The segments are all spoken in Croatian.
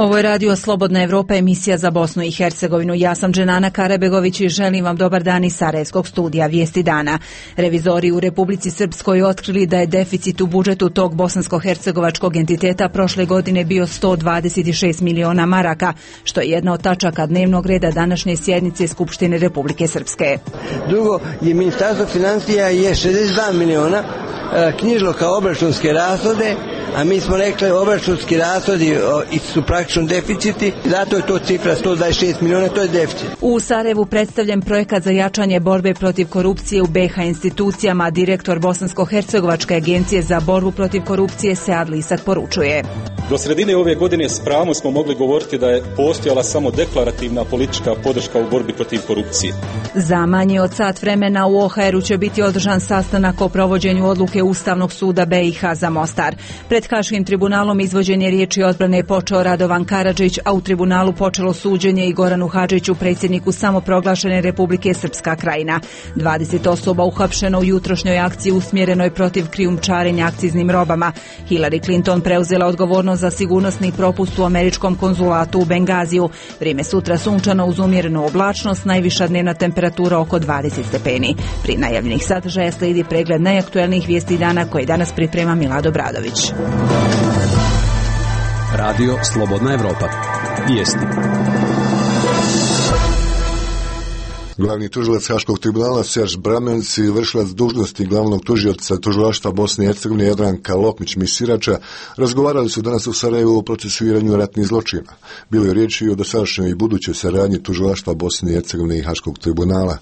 Ovo je Radio Slobodna Evropa, emisija za Bosnu i Hercegovinu. Ja sam Dženana Karabegović i želim vam dobar dan iz Sarajevskog studija Vijesti dana. Revizori u Republici Srpskoj otkrili da je deficit u budžetu tog bosansko-hercegovačkog entiteta prošle godine bio 126 miliona maraka, što je jedna od tačaka dnevnog reda današnje sjednice Skupštine Republike Srpske. Drugo je Ministarstvo financija je 62 miliona knjižilo kao obračunske rashode, a mi smo rekli obračunski rashodi su praktično deficiti, zato je to cifra 126 miliona, to je deficit. U Sarajevu predstavljen projekat za jačanje borbe protiv korupcije u BiH institucijama, direktor Bosansko-hercegovačke agencije za borbu protiv korupcije Sead Lisak poručuje. Do sredine ove godine s pravom smo mogli govoriti da je postojala samo deklarativna politička podrška u borbi protiv korupcije. Za manje od sat vremena u OHR-u će biti održan sastanak o provođenju odluke Ustavnog suda BiH za Mostar. Pred Haškim tribunalom izvođenje riječi odbrane je počeo Radovan Karadžić, a u tribunalu počelo suđenje i Goranu Hadžiću, predsjedniku samoproglašene Republike Srpska Krajina. 20 osoba uhapšeno u jutrošnjoj akciji usmjerenoj protiv krijumčarenja akciznim robama. Hillary Clinton preuzela odgovornost za sigurnosni propust u američkom konzulatu u Bengaziju. Vrijeme sutra sunčano uz umjerenu oblačnost, najviša dnevna temperatura oko 20 stepeni. Pri najavljenih sadržaja slijedi pregled najaktuelnijih vijesti dana koje danas priprema Milado Bradović. Radio Slobodna Evropa. Vijesti. Glavni tužilac Haškog tribunala Serž Bramenc i vršilac dužnosti glavnog tužioca tužilaštva Bosne i Hercegovine Jadranka Lokmić-Misirača razgovarali su danas u Sarajevu o procesuiranju ratnih zločina. Bilo je riječi o dosadašnjoj i budućoj saradnji tužilaštva Bosne i Hercegovine i Haškog tribunala.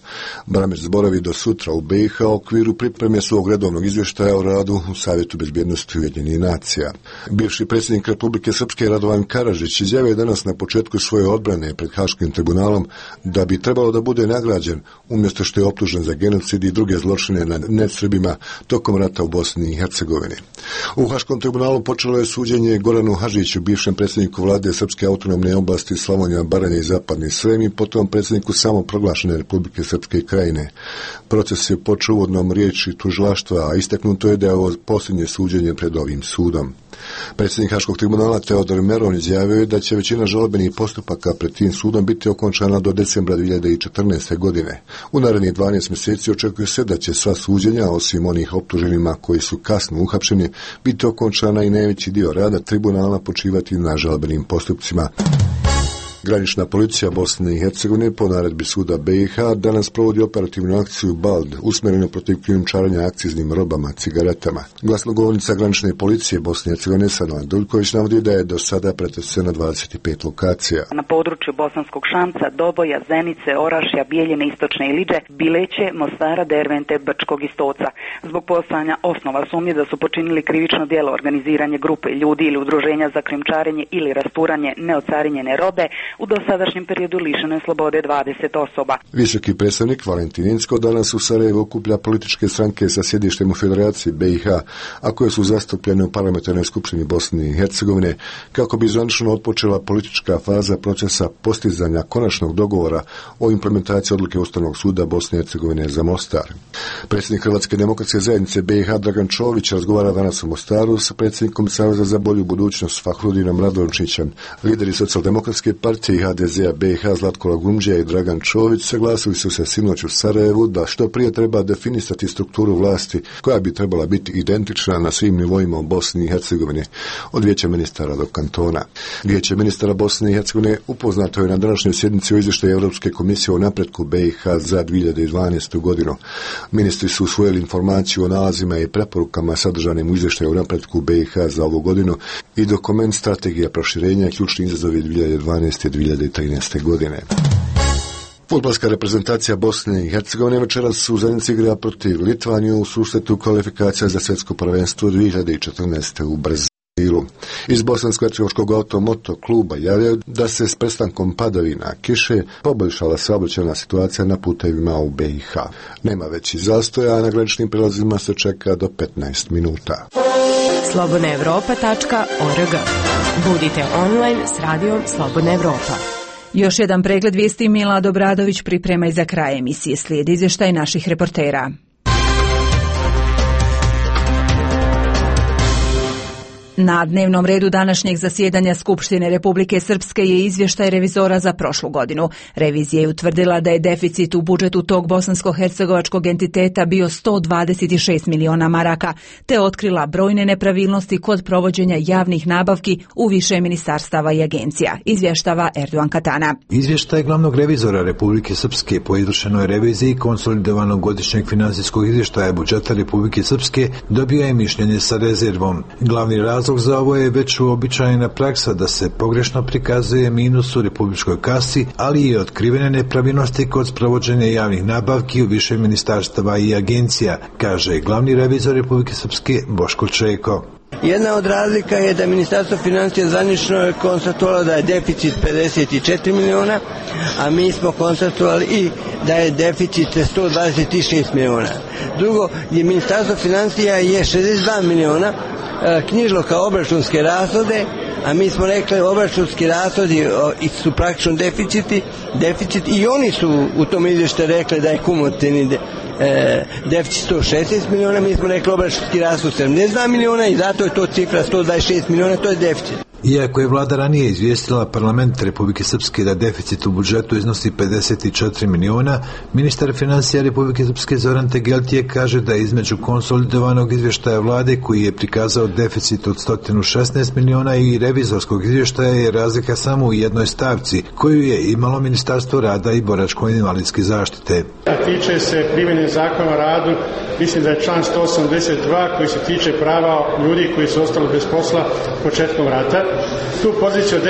Bramenc boravi do sutra u BiH u okviru pripreme svog redovnog izvještaja o radu u Savjetu bezbjednosti Ujedinjenih nacija. Bivši predsjednik Republike Srpske Radovan Karadžić izjavio danas na početku svoje odbrane pred Haškim tribunalom da bi trebalo da bude nagrađen umjesto što je optužen za genocid i druge zločine nad nesrbima tokom rata u Bosni i Hercegovini. U Haškom tribunalu počelo je suđenje Goranu Hadžiću, bivšem predsjedniku vlade Srpske autonomne oblasti Slavonija, Baranja i Zapadni Srem i potom predsjedniku samoproglašene Republike Srpske Krajine. Proces je počeo uvodnom riječi tužilaštva, a istaknuto je da je ovo posljednje suđenje pred ovim sudom. Predsjednik Haškog tribunala Teodor Meron izjavio je da će većina žalbenih postupaka pred tim sudom biti okončana do decembra 2014. godine. U narednih 12 mjeseci očekuje se da će sva suđenja, osim onih optuženima koji su kasno uhapšeni, biti okončana i najveći dio rada tribunala počivati na žalbenim postupcima. Granična policija Bosne i Hercegovine po naredbi suda BiH danas provodi operativnu akciju BALD usmjerenu protiv krijumčarenja akciznim robama, cigaretama. Glasnogovornica granične policije Bosne i Hercegovine Sadana Duljković navodi da je do sada pretreseno 25 lokacija. Na području Bosanskog Šamca, Doboja, Zenice, Orašja, Bijeljine, Istočne Iliđe, Bileće, Mostara, Dervente, Brčkog i Stoca. Zbog postojanja osnova sumnje da su počinili krivično djelo organiziranje grupe ljudi ili udruženja za krijumčarenje ili rasturanje neocarinjene robe, u dosadašnjem periodu lišeno je slobode 20 osoba. Visoki predstavnik Valentin Incko danas u Sarajevu okuplja političke stranke sa sjedištem u Federaciji BiH, a koje su zastupljene u parlamentarnoj skupštini Bosne i Hercegovine, kako bi zvanično otpočela politička faza procesa postizanja konačnog dogovora o implementaciji odluke Ustavnog suda Bosne i Hercegovine za Mostar. Predsjednik Hrvatske demokratske zajednice BiH Dragan Čović razgovara danas u Mostaru sa predsjednikom Saveza za bolju budućnost Fahrudinom Radončićem. Lideri Socijaldemokratske partije i HDZ-a BiH Zlatko Lagumđija i Dragan Čović saglasili su se sinoć u Sarajevu da što prije treba definisati strukturu vlasti koja bi trebala biti identična na svim nivoima u Bosni i Hercegovini, od Vijeća ministara do kantona. Vijeće ministara Bosne i Hercegovine upoznato je na današnjoj sjednici o izvještaju Europske komisije o napretku BiH za 2012. godinu. Ministri su usvojili informaciju o nalazima i preporukama sadržanim u izvještaju o napretku BiH za ovu godinu i dokument strategija proširenja i ključni izazovi 2012-2013. godine. Fudbalska reprezentacija Bosne i Hercegovine večeras u Zenici igra protiv Litvanije u susretu kvalifikacija za svjetsko prvenstvo 2014. u Brazilu. Iz Bosansko-hercegovačkog automoto kluba javljaju da se s prestankom padavina kiše poboljšala saobraćajna situacija na putevima u BiH. Nema većih zastoja, a na graničnim prelazima se čeka do 15 minuta. slobodnaevropa.org. Budite online s radijom Slobodna Evropa. Još jedan pregled vijesti Milado Bradović priprema i za kraj emisije. Slijedi izvještaj naših reportera. Na dnevnom redu današnjeg zasjedanja Skupštine Republike Srpske je izvještaj revizora za prošlu godinu. Revizija je utvrdila da je deficit u budžetu tog bosansko-hercegovačkog entiteta bio 126 miliona maraka, te otkrila brojne nepravilnosti kod provođenja javnih nabavki u više ministarstava i agencija, izvještava Erdogan Katana. Izvještaj glavnog revizora Republike Srpske po izvršenoj reviziji konsolidovanog godišnjeg finansijskog izvještaja budžeta Republike Srpske dobio je mišljenje sa rezervom. Glavni razlog za ovo je već uobičajena praksa da se pogrešno prikazuje minus u republičkoj kasi, ali i otkrivene nepravilnosti kod sprovođenja javnih nabavki u više ministarstava i agencija, kaže glavni revizor Republike Srpske Boško Čeko. Jedna od razlika je da Ministarstvo financija zvanično je konstatovalo da je deficit 54 miliona, a mi smo konstatovali i da je deficit 126 miliona. Drugo, je Ministarstvo financija je 62 miliona knjižilo kao obračunske rashode, a mi smo rekli obračunski rashodi su praktično deficit i oni su u tom izvještaju rekli da je kumulativni deficit 116 miliona, mi smo rekli obračunski rashod 72 miliona i zato je to cifra 126 miliona, to je deficit. Iako je vlada ranije izvijestila parlament Republike Srpske da deficit u budžetu iznosi 54 miliona, ministar financija Republike Srpske Zoran Tegeltije kaže da između konsolidovanog izvještaja vlade koji je prikazao deficit od 116 miliona i revizorskog izvještaja je razlika samo u jednoj stavci koju je imalo Ministarstvo rada i boračko-invalidske zaštite. Tiče se primjene zakona o radu, mislim da je član 182 koji se tiče prava ljudi koji su ostali bez posla početkom rata. Tu poziciju od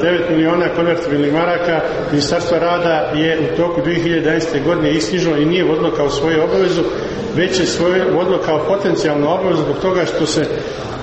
9 miliona konvertibilnih maraka Ministarstvo rada je u toku 2011. godine isknjižilo i nije vodilo kao svoju obavezu, već je svoju vodilo kao potencijalnu obavezu zbog toga što se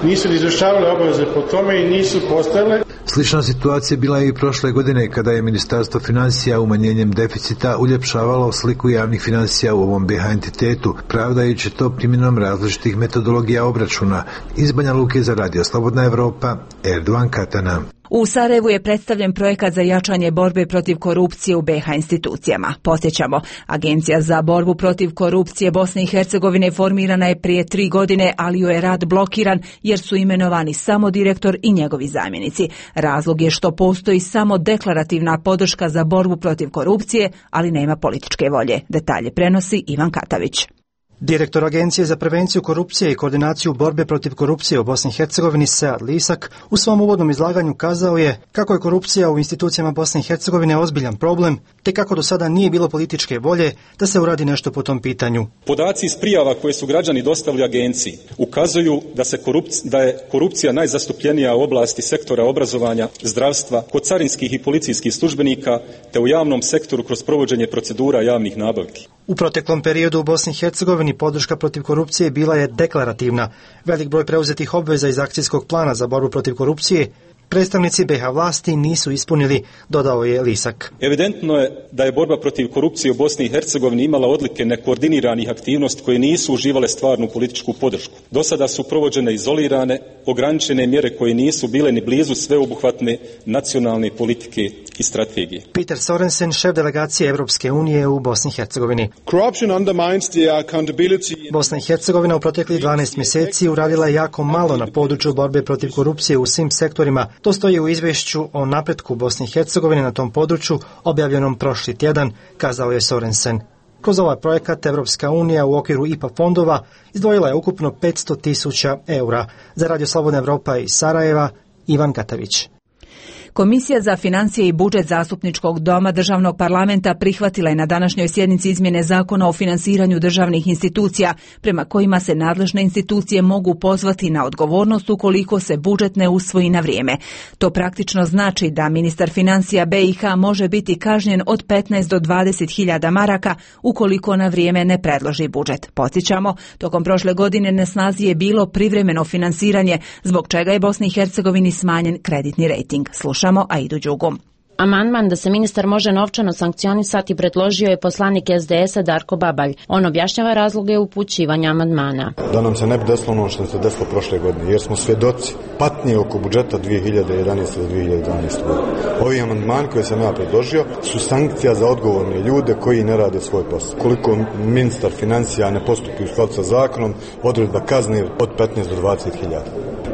nisu izvršavale obaveze po tome i nisu postojale. Slična situacija bila je i prošle godine kada je Ministarstvo financija umanjenjem deficita uljepšavalo sliku javnih financija u ovom BiH entitetu, pravdajući to primjenom različitih metodologija obračuna. Iz Banja Luke za Radio Slobodna Evropa, Erdogan Katana. U Sarajevu je predstavljen projekat za jačanje borbe protiv korupcije u BiH institucijama. Podsjećamo, Agencija za borbu protiv korupcije Bosne i Hercegovine formirana je prije 3 godine, ali joj je rad blokiran jer su imenovani samo direktor i njegovi zamjenici. Razlog je što postoji samo deklarativna podrška za borbu protiv korupcije, ali nema političke volje. Detalje prenosi Ivan Katavić. Direktor Agencije za prevenciju korupcije i koordinaciju borbe protiv korupcije u Bosni i Hercegovini Sead Lisak u svom uvodnom izlaganju kazao je kako je korupcija u institucijama Bosne i Hercegovine ozbiljan problem, te kako do sada nije bilo političke volje da se uradi nešto po tom pitanju. Podaci iz prijava koje su građani dostavili agenciji ukazuju da je korupcija najzastupljenija u oblasti sektora obrazovanja, zdravstva, kod carinskih i policijskih službenika, te u javnom sektoru kroz provođenje procedura javnih nabavki. U proteklom periodu u Bosni i Hercegovini podrška protiv korupcije bila je deklarativna. Velik broj preuzetih obveza iz akcijskog plana za borbu protiv korupcije predstavnici BiH vlasti nisu ispunili, dodao je Lisak. Evidentno je da je borba protiv korupcije u Bosni i Hercegovini imala odlike nekoordiniranih aktivnosti koje nisu uživale stvarnu političku podršku. Do sada su provođene izolirane, ograničene mjere koje nisu bile ni blizu sveobuhvatne nacionalne politike i strategije. Peter Sorensen, šef delegacije Europske unije u Bosni i Hercegovini. Bosna i Hercegovina u proteklih 12 mjeseci uradila je jako malo na području borbe protiv korupcije u svim sektorima. To stoji u izvješću o napretku Bosne i Hercegovine na tom području objavljenom prošli tjedan, kazao je Sorensen. Kroz ovaj projekat Evropska unija u okviru IPA fondova izdvojila je ukupno 500.000 eura. Za Radio Slobodna Evropa iz Sarajeva, Ivan Katavić. Komisija za financije i budžet Zastupničkog doma Državnog parlamenta prihvatila je na današnjoj sjednici izmjene zakona o finansiranju državnih institucija, prema kojima se nadležne institucije mogu pozvati na odgovornost ukoliko se budžet ne usvoji na vrijeme. To praktično znači da ministar financija BiH može biti kažnjen od 15 do 20.000 maraka ukoliko na vrijeme ne predloži budžet. Podsjećamo, tokom prošle godine na snazi je bilo privremeno finansiranje, zbog čega je Bosni i Hercegovini smanjen kreditni rejting. Slušamo Aidu Đugum. Amandman da se ministar može novčano sankcionisati predložio je poslanik SDS-a Darko Babalj. On objašnjava razloge upućivanja amandmana. Da nam se ne bi desilo ono što se desilo prošle godine, jer smo svjedoci patnje oko budžeta 2011. do 2012. godine. Ovi amandmani koje sam ja predložio su sankcija za odgovorne ljude koji ne rade svoj posao. Koliko ministar financija ne postupi u skladu sa zakonom, odredba kazne od 15 do 20.000.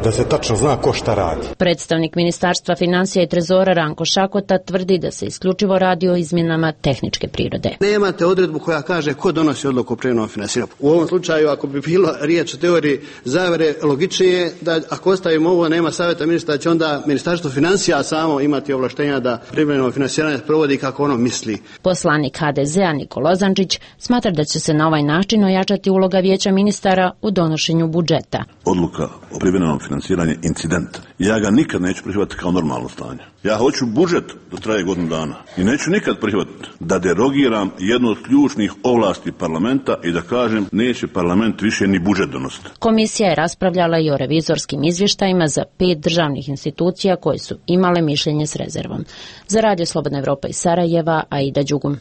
Da se tačno zna ko šta radi. Predstavnik Ministarstva financija i trezora Ranko Šakota tvrdi da se isključivo radi o izmjenama tehničke prirode. Nemate odredbu koja kaže ko donosi odluku o privremenom finansiranju. U ovom slučaju, ako bi bilo riječ o teoriji zavere, logičnije je da ako ostavimo ovo, nema savjeta ministra, će onda Ministarstvo financija samo imati ovlaštenja da privremeno finansiranje provodi kako ono misli. Poslanik HDZ-a Nikola Ozančić smatra da će se na ovaj način ojačati uloga vijeća ministara u donošenju budžeta. Odluka o privremenom financiranju incidenta. Ja ga nikad neću prihvatiti kao normalno stanje. Ja hoću budžet da traje godinu dana i neću nikad prihvatiti da derogiram jednu od ključnih ovlasti parlamenta i da kažem neće parlament više ni budžet donositi. Komisija je raspravljala i o revizorskim izvještajima za 5 državnih institucija koje su imale mišljenje s rezervom. Za Radio Slobodna Evropa iz Sarajeva, Aida Đugum.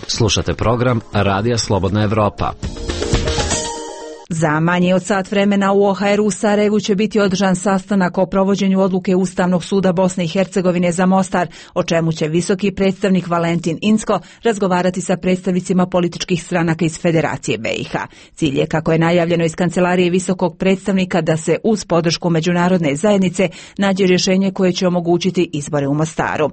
Slušate program Radija Slobodna Evropa. Za manje od sat vremena u OHR u Sarajevu će biti održan sastanak o provođenju odluke Ustavnog suda Bosne i Hercegovine za Mostar, o čemu će visoki predstavnik Valentin Incko razgovarati sa predstavnicima političkih stranaka iz Federacije BiH. Cilj je, kako je najavljeno iz kancelarije visokog predstavnika, da se uz podršku međunarodne zajednice nađe rješenje koje će omogućiti izbore u Mostaru.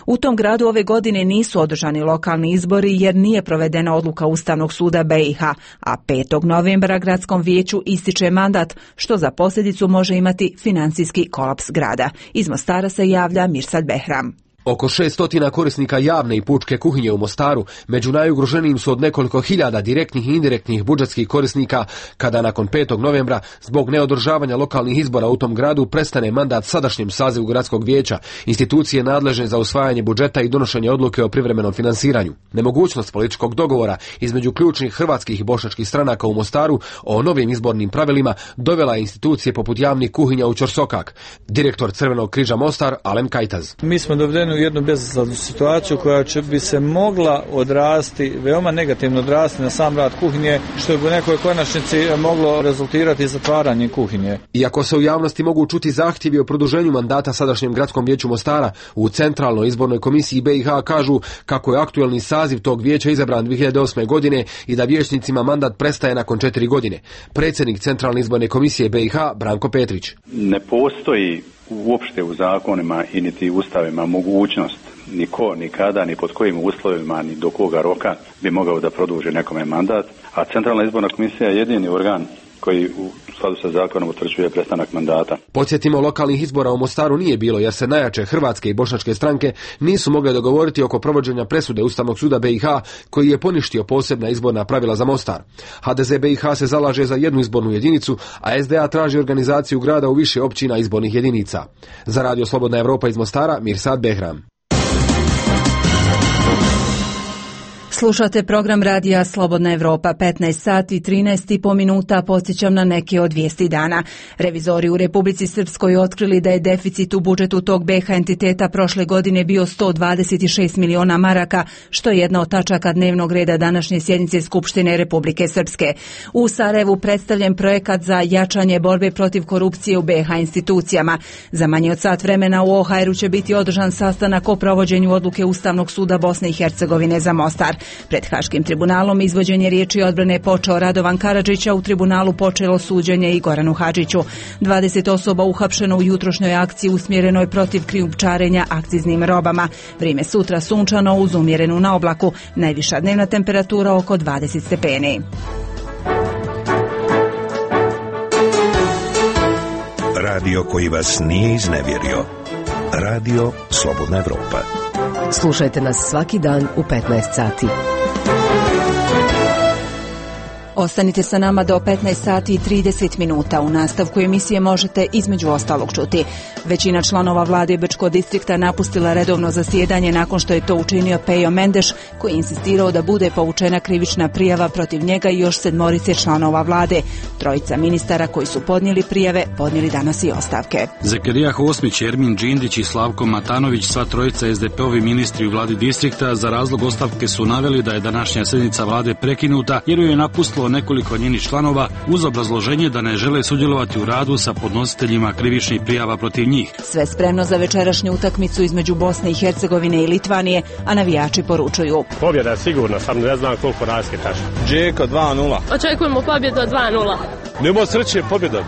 U tom gradu ove godine nisu održani lokalni izbori jer nije provedena odluka Ustavnog suda BiH, a 5. novembra gradskom vijeću ističe mandat, što za posljedicu može imati financijski kolaps grada. Iz Mostara se javlja Mirsad Behram. Oko 600 korisnika javne i pučke kuhinje u Mostaru među najugroženijim su od nekoliko hiljada direktnih i indirektnih budžetskih korisnika, kada nakon 5. novembra zbog neodržavanja lokalnih izbora u tom gradu prestane mandat sadašnjem sazivu gradskog vijeća, institucije nadležne za usvajanje budžeta i donošenje odluke o privremenom finansiranju. Nemogućnost političkog dogovora između ključnih hrvatskih i bošnjačkih stranaka u Mostaru o novim izbornim pravilima dovela je institucije poput javnih kuhinja u ćorsokak. Direktor Crvenog križa Mostar, Alem Kajtaz. Mi smo dovedeni u jednu bezizlaznu situaciju koja bi se mogla odrasti, veoma negativno odrasti na sam rad kuhinje, što bi u nekoj konačnici moglo rezultirati zatvaranjem kuhinje. Iako se u javnosti mogu čuti zahtjevi o produženju mandata sadašnjem gradskom vijeću Mostara, u Centralnoj izbornoj komisiji BiH kažu kako je aktuelni saziv tog vijeća izabran 2008. godine i da vijećnicima mandat prestaje nakon 4 godine. Predsjednik Centralne izborne komisije BiH Branko Petrić. Ne postoji uopšte u zakonima i niti ustavima mogućnost niko, nikada, ni pod kojim uslovima, ni do koga roka bi mogao da produži nekome mandat, a Centralna izborna komisija je jedini organ koji u skladu sa zakonom utvrđuje prestanak mandata. Podsjetimo, lokalnih izbora u Mostaru nije bilo jer se najjače hrvatske i bošnjačke stranke nisu mogle dogovoriti oko provođenja presude Ustavnog suda BiH koji je poništio posebna izborna pravila za Mostar. HDZ BiH se zalaže za jednu izbornu jedinicu, a SDA traži organizaciju grada u više općina izbornih jedinica. Za Radio Slobodna Evropa iz Mostara, Mirsad Behram. Slušate program Radija Slobodna Evropa, 15 sati i 13,5 minuta, podsjećam na neke od vijesti dana. Revizori u Republici Srpskoj otkrili da je deficit u budžetu tog BiH entiteta prošle godine bio 126 miliona maraka, što je jedna od tačaka dnevnog reda današnje sjednice Skupštine Republike Srpske. U Sarajevu predstavljen projekat za jačanje borbe protiv korupcije u BiH institucijama. Za manje od sat vremena u OHR-u će biti održan sastanak o provođenju odluke Ustavnog suda Bosne i Hercegovine za Mostar. Pred Haškim tribunalom izvođenje riječi odbrane počeo Radovan Karadžić, a u tribunalu počelo suđenje i Goranu Hadžiću. 20 osoba uhapšeno u jutrošnjoj akciji usmjerenoj protiv krijumčarenja akciznim robama. Vrijeme sutra sunčano uz umjerenu na oblaku. Najviša dnevna temperatura oko 20 stepeni. Radio koji vas nije iznevjerio. Radio Slobodna Evropa. Slušajte nas svaki dan u 15 sati. Ostanite sa nama do 15 sati i 30 minuta. U nastavku emisije možete između ostalog čuti. Većina članova vlade Bečkog distrikta napustila redovno zasjedanje nakon što je to učinio Pejo Mendeš, koji je insistirao da bude povučena krivična prijava protiv njega i još 7 članova vlade. 3 ministara koji su podnijeli prijave podnijeli danas i ostavke. Zekerija Hosmić, Ermin Džindić i Slavko Matanović, sva 3 SDP-ovi ministri u vladi distrikta, za razlog ostavke su naveli da je današnja sjednica vlade prekinuta jer ju je napustilo nekoliko njenih članova uz obrazloženje da ne žele sudjelovati u radu sa podnositeljima krivičnih prijava protiv njih. Sve spremno za večerašnju utakmicu između Bosne i Hercegovine i Litvanije, a navijači poručuju: pobjeda je sigurna, sam ne znam koliko razlike kaže. Džeko 2:0. Očekujemo pobjedu 2:0. Nemo sreće, pobjeda.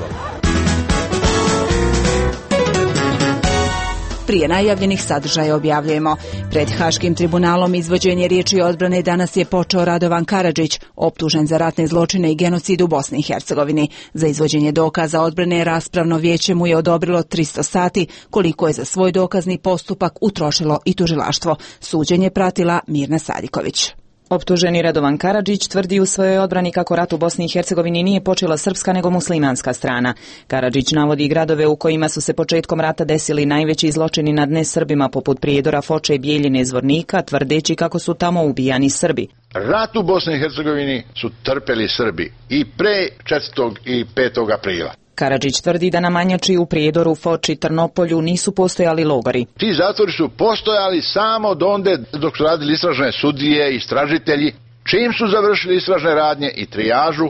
Prije najavljenih sadržaja objavljujemo. Pred Haškim tribunalom izvođenje riječi odbrane danas je počeo Radovan Karadžić, optužen za ratne zločine i genocid u Bosni i Hercegovini. Za izvođenje dokaza odbrane raspravno vijeće mu je odobrilo 300 sati, koliko je za svoj dokazni postupak utrošilo i tužilaštvo. Suđenje pratila Mirna Sadiković. Optuženi Radovan Karadžić tvrdi u svojoj odbrani kako rat u Bosni i Hercegovini nije počela srpska nego muslimanska strana. Karadžić navodi gradove u kojima su se početkom rata desili najveći zločini nad nesrbima poput Prijedora, Foče, Bijeljine, Zvornika, tvrdeći kako su tamo ubijani Srbi. Rat u Bosni i Hercegovini su trpeli Srbi i pre 4. i 5. aprila. Karadžić tvrdi da na Manjači, u Prijedoru, Foči, Trnopolju nisu postojali logori. Ti zatvori su postojali samo donde dok su radili istražne sudije i istražitelji. Čim su završili istražne radnje i trijažu,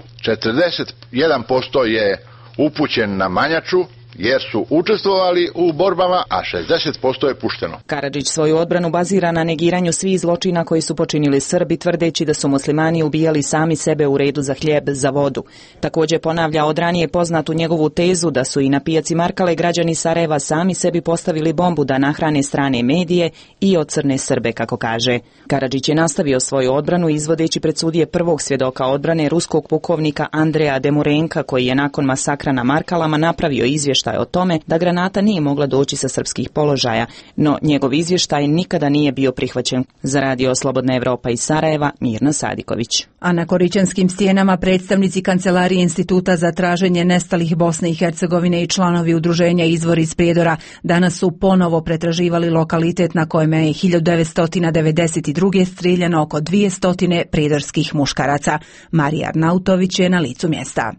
41% je upućen na Manjaču jer su učestvovali u borbama, a 60% je pušteno. Karadžić svoju odbranu bazira na negiranju svih zločina koji su počinili Srbi, tvrdeći da su muslimani ubijali sami sebe u redu za hljeb, za vodu. Također ponavlja od ranije poznatu njegovu tezu da su i na pijaci Markale građani Sarajeva sami sebi postavili bombu da nahrane strane medije i ocrne Srbe, kako kaže. Karadžić je nastavio svoju odbranu izvodeći pred sudije prvog svjedoka odbrane ruskog pukovnika Andreja Demurenka, koji je nakon masakra na Markalama napravio izvještaj o tome da granata nije mogla doći sa srpskih položaja, no njegov izvještaj nikada nije bio prihvaćen. Za Radio Slobodna Evropa iz Sarajeva, Mirna Sadiković. A na Korićanskim stijenama predstavnici Kancelarije Instituta za traženje nestalih Bosne i Hercegovine i članovi udruženja Izvor iz Prijedora danas su ponovo pretraživali lokalitet na kojem je 1992. strijeljano oko 200 prijedorskih muškaraca. Marija Arnautović je na licu mjesta.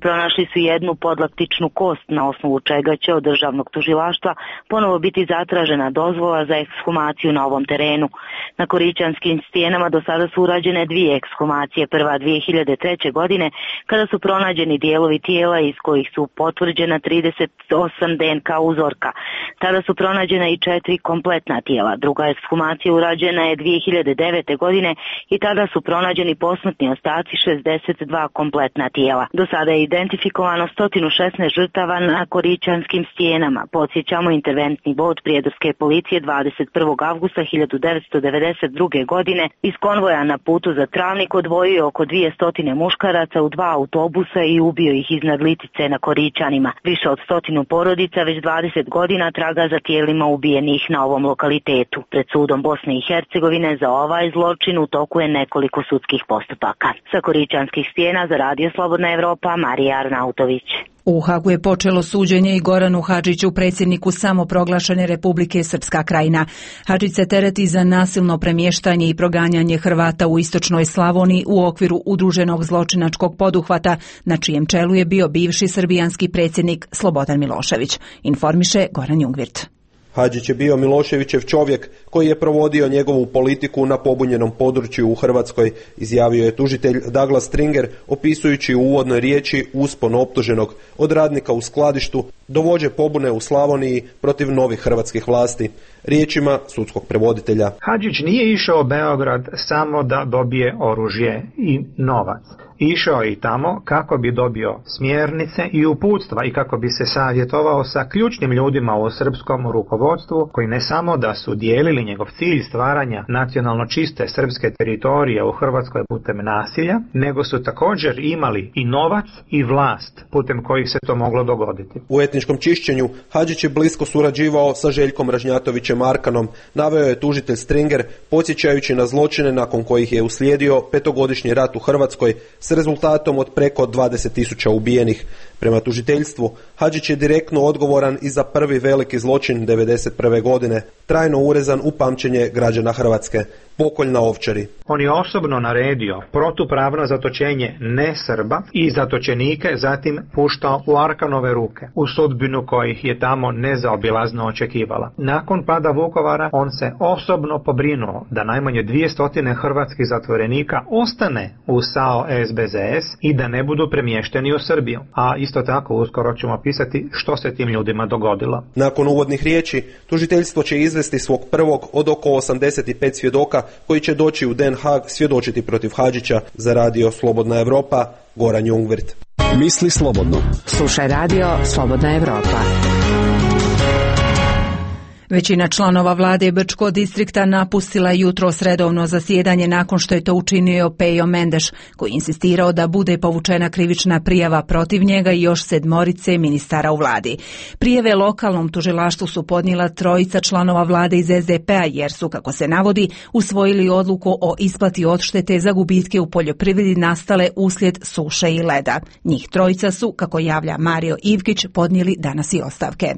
Pronašli su jednu podlaktičnu kost, na osnovu čega će od državnog tužilaštva ponovo biti zatražena dozvola za ekshumaciju na ovom terenu. Na Korićanskim stijenama do sada su urađene 2 ekshumacije, prva 2003. godine kada su pronađeni dijelovi tijela iz kojih su potvrđena 38 DNK uzorka. Tada su pronađena i 4 kompletna tijela. Druga ekshumacija urađena je 2009. godine i tada su pronađeni posmrtni ostaci 62 kompletna tijela. Do sada je identifikovano 116 žrtava na Korićanskim stijenama. Podsjećamo, interventni bod prijedorske policije 21. avgusta 1992. godine iz konvoja na putu za Travnik odvojio oko 200 muškaraca u 2 autobusa i ubio ih iznad Litice na Korićanima. Više od 100 porodica već 20 godina traga za tijelima ubijenih na ovom lokalitetu. Pred sudom Bosne i Hercegovine za ovaj zločin u toku je nekoliko sudskih postupaka. Sa Korićanskih stijena za Radio Slobodna Evropa, Marija Arnautović. U Hagu je počelo suđenje i Goranu Hadžiću, predsjedniku samoproglašene Republike Srpska Krajina. Hadžić se tereti za nasilno premještanje i proganjanje Hrvata u istočnoj Slavoniji u okviru udruženog zločinačkog poduhvata, na čijem čelu je bio bivši srbijanski predsjednik Slobodan Milošević, informiše Goran Jungvirt. Hadžić je bio Miloševićev čovjek koji je provodio njegovu politiku na pobunjenom području u Hrvatskoj, izjavio je tužitelj Douglas Stringer opisujući u uvodnoj riječi uspon optuženog od radnika u skladištu do vođe pobune u Slavoniji protiv novih hrvatskih vlasti. Riječima sudskog prevoditelja. Hadžić nije išao u Beograd samo da dobije oružje i novac. Išao je i tamo kako bi dobio smjernice i uputstva i kako bi se savjetovao sa ključnim ljudima u srpskom rukovodstvu rukovodstvu koji ne samo da su dijelili njegov cilj stvaranja nacionalno čiste srpske teritorije u Hrvatskoj putem nasilja, nego su također imali i novac i vlast putem kojih se to moglo dogoditi. U etničkom čišćenju Hadžić je blisko surađivao sa Željkom Ražnjatovićem Arkanom, naveo je tužitelj Stringer, podsjećajući na zločine nakon kojih je uslijedio 5-godišnji rat u Hrvatskoj s rezultatom od preko 20.000 ubijenih. Prema tužiteljstvu, Hadžić je direktno odgovoran i za prvi veliki zločin 1991. godine, trajno urezan u pamćenje građana Hrvatske, pokolj na Ovčari. On je osobno naredio protupravno zatočenje nesrba i zatočenike zatim puštao u Arkanove ruke, u sudbinu kojih je tamo nezaobilazno očekivala. Nakon pada Vukovara on se osobno pobrinuo da najmanje 200 hrvatskih zatvorenika ostane u SAO SBZS i da ne budu premješteni u Srbiju. A isto tako uskoro ćemo opisati što se tim ljudima dogodilo. Nakon uvodnih riječi, tužiteljstvo će izvesti svog prvog od oko 85 svjedoka koji će doći u Den Haag svjedočiti protiv Hadžića. Za radio Slobodna Evropa, Goran Jungwirth. Misli slobodno. Slušaj radio Slobodna Evropa. Većina članova vlade Brčkog distrikta napustila jutros redovno zasjedanje nakon što je to učinio Pejo Mendeš, koji insistirao da bude povučena krivična prijava protiv njega i još 7 ministara u vladi. Prijave lokalnom tužilaštvu su podnijela 3 članova vlade iz SDP-a jer su, kako se navodi, usvojili odluku o isplati odštete za gubitke u poljoprivredi nastale uslijed suše i leda. Njih 3 su, kako javlja Mario Ivkić, podnijeli danas i ostavke.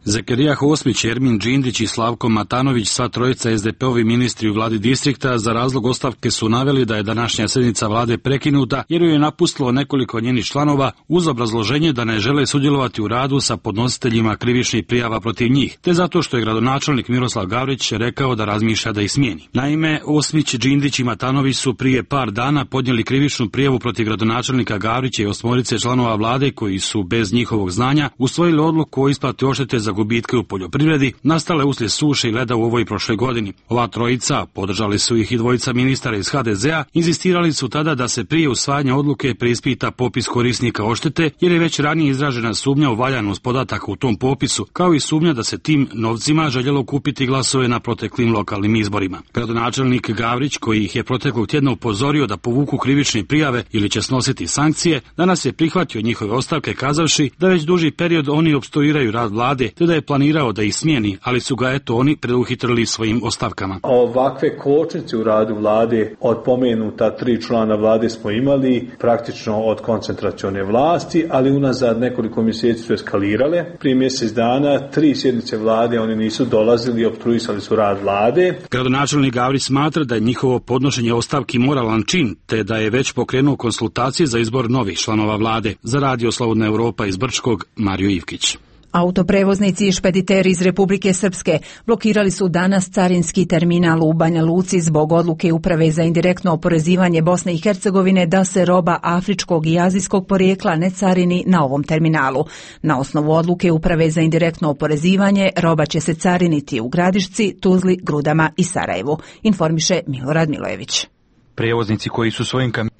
Zekerija Hosmić, Ermin Džindić i Slavko Matanović, sva 3 SDP-ovi ministri u vladi distrikta, za razlog ostavke su naveli da je današnja sjednica vlade prekinuta jer ju je napustilo nekoliko njenih članova uz obrazloženje da ne žele sudjelovati u radu sa podnositeljima krivičnih prijava protiv njih, te zato što je gradonačelnik Miroslav Gavrić rekao da razmišlja da ih smijeni. Naime, Osmić, Džindić i Matanović su prije par dana podnijeli krivičnu prijavu protiv gradonačelnika Gavrića i 8 članova vlade koji su bez njihovog znanja usvojili odluku o isplati odštete za gubitke u poljoprivredi nastale uslijed suše i leda u ovoj prošloj godini. Ova 3, podržali su ih i 2 ministara iz HDZ-a, inzistirali su tada da se prije usvajanja odluke preispita popis korisnika odštete jer je već ranije izražena sumnja u valjanost podataka u tom popisu, kao i sumnja da se tim novcima željelo kupiti glasove na proteklim lokalnim izborima. Gradonačelnik Gavrić, koji ih je proteklog tjedna upozorio da povuku krivične prijave ili će snositi sankcije, danas je prihvatio njihove ostavke kazavši da već duži period oni opstruiraju rad vlade, te da je planirao da ih smijeni, ali su ga oni preduhitrili svojim ostavkama. Ovakve kočnice u radu vlade od pomenuta 3 člana vlade smo imali praktično od koncentracione vlasti, ali unazad nekoliko mjeseci su eskalirale. Prije mjesec dana 3 sjednice vlade oni nisu dolazili i opstruisali su rad vlade. Gradonačelnik Gavrić smatra da je njihovo podnošenje ostavki moralan čin, te da je već pokrenuo konsultacije za izbor novih članova vlade. Za radio Slobodna Evropa iz Brčkog, Mario Ivkić. Autoprevoznici i špediteri iz Republike Srpske blokirali su danas carinski terminal u Banja Luci zbog odluke Uprave za indirektno oporezivanje Bosne i Hercegovine da se roba afričkog i azijskog porijekla ne carini na ovom terminalu. Na osnovu odluke Uprave za indirektno oporezivanje roba će se cariniti u Gradišci, Tuzli, Grudama i Sarajevu, informiše Milorad Milojević. Prevoznici koji su svojim kamionima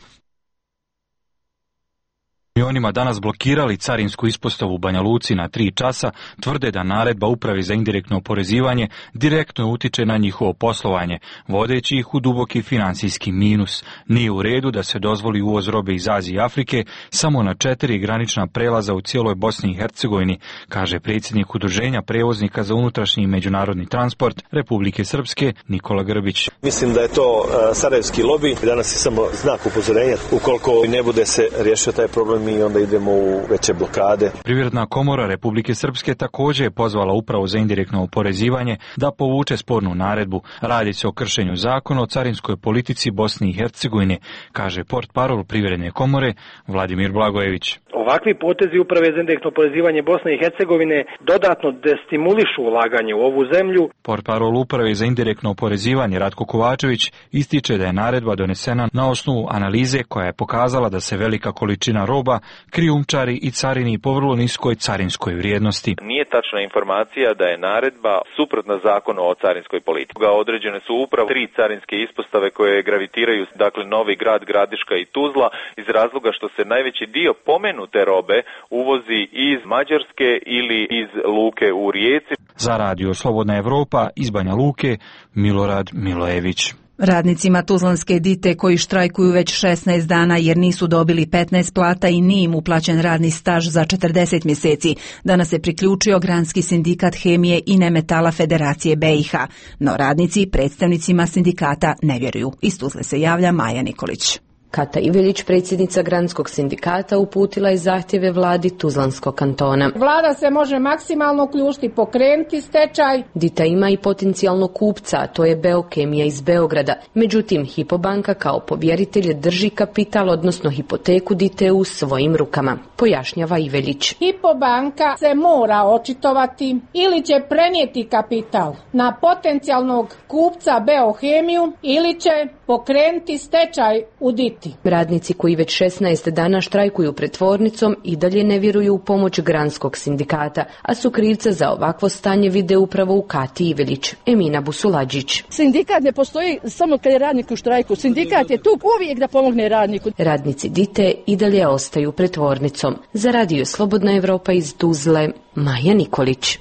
danas blokirali carinsku ispostavu u Banja Luci na 3 časa, tvrde da naredba Uprave za indirektno oporezivanje direktno utiče na njihovo poslovanje, vodeći ih u duboki financijski minus. Nije u redu da se dozvoli uvoz robe iz Azije i Afrike samo na 4 granična prelaza u cijeloj Bosni i Hercegovini, kaže predsjednik Udruženja prevoznika za unutrašnji i međunarodni transport Republike Srpske Nikola Grbić. Mislim da je to sarajevski lobi. Danas je samo znak upozorenja. Ukoliko ne bude se riješio taj problem, i onda idemo u veće blokade. Privredna komora Republike Srpske također je pozvala Upravu za indirektno oporezivanje da povuče spornu naredbu. Radi se o kršenju zakona o carinskoj politici Bosne i Hercegovine, kaže portparol Privredne komore Vladimir Blagojević. Ovakvi potezi Uprave za indirektno oporezivanje Bosne i Hercegovine dodatno destimulišu ulaganje u ovu zemlju. Portparol Uprave za indirektno oporezivanje Ratko Kovačević ističe da je naredba donesena na osnovu analize koja je pokazala da se velika količina roba krijumčari i carini po vrlo niskoj carinskoj vrijednosti. Nije tačna informacija da je naredba suprotna zakonu o carinskoj politici. Određene su upravo 3 carinske ispostave koje gravitiraju, dakle Novi Grad, Gradiška i Tuzla, iz razloga što se najveći dio pomenute robe uvozi iz Mađarske ili iz luke u Rijeci. Za Radio Slobodna Evropa iz Banja Luke, Milorad Milojević. Radnicima Tuzlanske Dite koji štrajkuju već 16 dana jer nisu dobili 15 plata i nije im uplaćen radni staž za 40 mjeseci, danas se priključio Granski sindikat hemije i nemetala Federacije BiH, no radnici predstavnicima sindikata ne vjeruju. Iz Tuzle se javlja Maja Nikolić. Kata Ivelić, predsjednica Granskog sindikata, uputila je zahtjeve vladi Tuzlanskog kantona. Vlada se može maksimalno uključiti, pokrenuti stečaj. Dita ima i potencijalnog kupca, a to je Beokemija iz Beograda. Međutim, Hypo kao povjeritelj drži kapital, odnosno hipoteku Dite u svojim rukama, pojašnjava Ivelić. Hypo se mora očitovati ili će prenijeti kapital na potencijalnog kupca Beokemiju ili će pokrenuti stečaj u Diti. Radnici koji već 16 dana štrajkuju pred tvornicom i dalje ne vjeruju u pomoć Granskog sindikata, a su krivca za ovakvo stanje vide upravo u Kati Ivelić. Emina Busulađić. Sindikat ne postoji samo kad je radnik u štrajku. Sindikat je tu uvijek da pomogne radniku. Radnici Dite i dalje ostaju pred tvornicom. Za Radio Slobodna Evropa iz Tuzle, Maja Nikolić.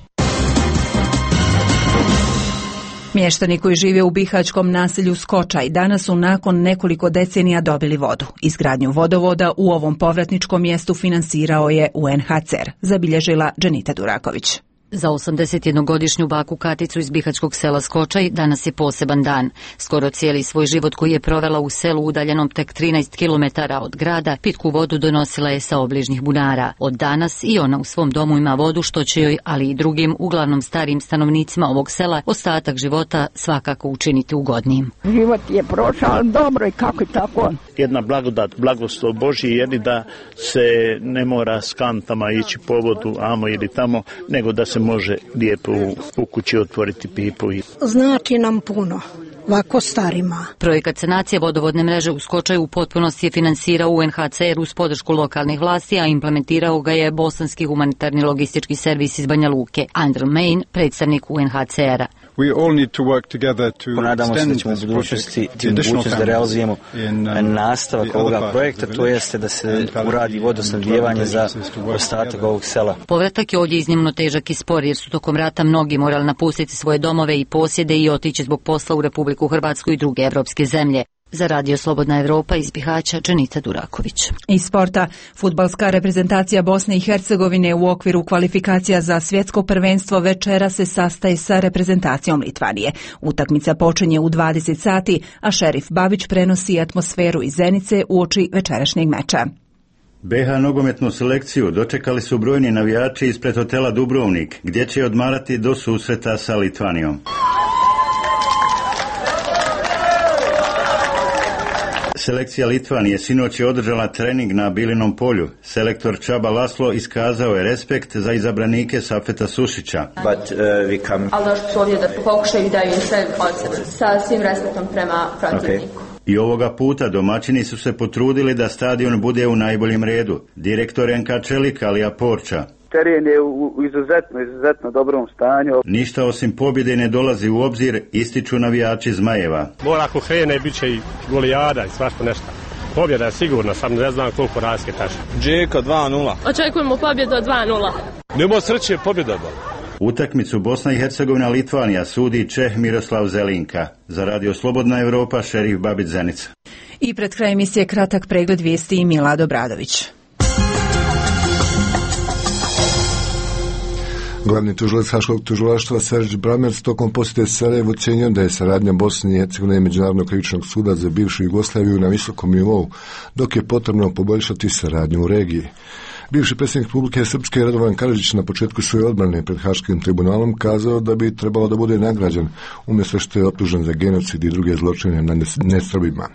Mještani koji žive u bihaćkom naselju Skočaj danas su nakon nekoliko decenija dobili vodu. Izgradnju vodovoda u ovom povratničkom mjestu finansirao je UNHCR, zabilježila Dženita Duraković. Za 81-godišnju baku Katicu iz bihaćkog sela Skočaj danas je poseban dan. Skoro cijeli svoj život koji je provela u selu udaljenom tek 13 km od grada, pitku vodu donosila je sa obližnjih bunara. Od danas i ona u svom domu ima vodu što će joj, ali i drugim, uglavnom starijim stanovnicima ovog sela, ostatak života svakako učiniti ugodnijim. Život je prošao dobro i kako i tako. Jedna blagodat, blagoslov Božji je da se ne mora s kantama ići po vodu, amo ili tamo, nego da se može lijepo u kući otvoriti pipu. Znači nam puno, ovako starima. Projekat sanacije vodovodne mreže u Skočaju u potpunosti je finansirao UNHCR uz podršku lokalnih vlasti, a implementirao ga je Bosanski humanitarni logistički servis iz Banja Luke. Andrew Main, predstavnik UNHCR-a. Ponadamo se da ćemo u budućnosti da realizujemo nastavak ovoga projekta, to jeste da se uradi vodosnabdijevanje za ostatak ovog sela. Povratak je ovdje iznimno težak i spor jer su tokom rata mnogi morali napustiti svoje domove i posjede i otići zbog posla u Republiku Hrvatsku i druge evropske zemlje. Za Radio Slobodna Evropa iz Bihaća, Dženita Duraković. Iz sporta, fudbalska reprezentacija Bosne i Hercegovine u okviru kvalifikacija za svjetsko prvenstvo večera se sastaje sa reprezentacijom Litvanije. Utakmica počinje u 20 sati, a Šerif Babić prenosi atmosferu iz Zenice uoči večerašnjeg meča. BH nogometnu selekciju dočekali su brojni navijači ispred hotela Dubrovnik, gdje će odmarati do susreta sa Litvanijom. Selekcija Litvanije sinoć je održala trening na Bilinom polju. Selektor Čaba Laslo iskazao je respekt za izabranike Safeta Sušića. Ali došli su ovdje da pokušaju i daju sve od sebe, sa svim respektom prema protivniku. I ovoga puta domaćini su se potrudili da stadion bude u najboljem redu. Direktor NK Čelik Alija Porča. Teren je u izuzetno dobrom stanju. Ništa osim pobjede ne dolazi u obzir, ističu navijači Zmajeva. Mora ako krene, bit će i golijada i svašta nešto. Pobjeda je sigurna, sam ne znam koliko razlike tačno. Džeka 2-0. Očekujemo pobjedu 2-0. Nemo sreće, pobjeda. Utakmicu Bosna i Hercegovina Litvanija sudi Čeh Miroslav Zelinka. Za Radio Slobodna Evropa, Šerif Babić Zenica. I pred krajem emisije kratak pregled vijesti i Milado Bradović. Glavni tužilac Haškog tužilaštva Serđ Bramerc tokom posjete Sarajevu ocenio da je saradnja Bosne i Hercegovine i Međunarodnog krivičnog suda za bivšu Jugoslaviju na visokom nivou, dok je potrebno poboljšati saradnju u regiji. Bivši predsjednik Republike Srpske Radovan Karadžić na početku svoje odbrane pred Haškim tribunalom kazao da bi trebalo da bude nagrađen umjesto što je optužen za genocid i druge zločine nad nesrbima.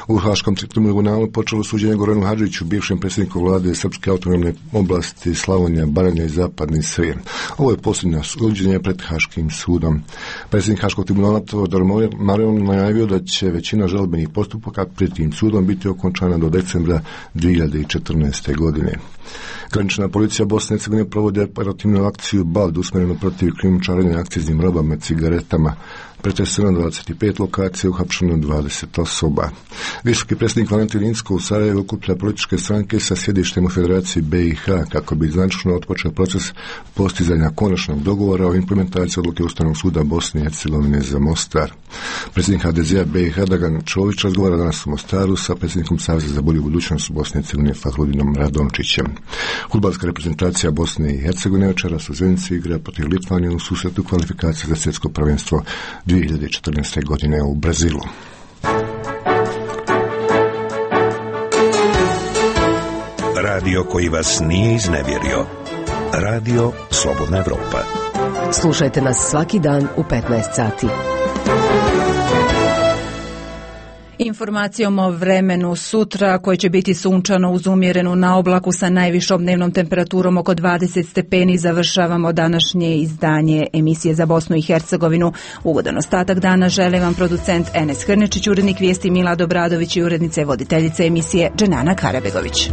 U Haškom tribunalu počelo suđenje Goranu Hadžiću, bivšem predsjedniku vlade Srpske autonomne oblasti Slavonija, Baranja i Zapadni Srijem. Ovo je posljednje suđenje pred Haškim sudom. Predsjednik Haškog tribunala Teodor Marion najavio da će većina žalbenih postupaka pred tim sudom biti okončana do decembra 2014. godine. Granična policija Bosne i Hercegovine provodi operativnu akciju BALD usmjerenu protiv krijumčarenja akciznim robama, cigaretama. Pretreseno 25 lokacija, uhapšeno 20 osoba. Visoki predsjednik Valentin Inzko u Sarajevu okuplja političke stranke sa sjedištem u Federaciji BiH kako bi značajno otpočeo proces postizanja konačnog dogovora o implementaciji odluke Ustavnog suda Bosne i Hercegovine za Mostar. Predsjednik HDZ-a BiH Dragan Čović razgovara danas u Mostaru sa predsjednikom Saveza za bolju budućnost Bosne i Hercegovine Fahrudinom Radončićem. Fudbalska reprezentacija Bosne i Hercegovine večeras u Zenici igra protiv Litvanije u susretu kvalifikacije za svjetsko prvenstvo 2014. godine u Brazilu. Radio koji vas nije iznevjerio. Radio Slobodna Evropa. Slušajte nas svaki dan u 15 sati. Informacijom o vremenu sutra, koje će biti sunčano uz umjerenu naoblaku sa najvišom dnevnom temperaturom oko 20 stepeni, završavamo današnje izdanje emisije za Bosnu i Hercegovinu. Ugodan ostatak dana žele vam producent Enes Hrnečić, urednik vijesti Milad Obradović i urednica i voditeljica emisije Dženana Karabegović.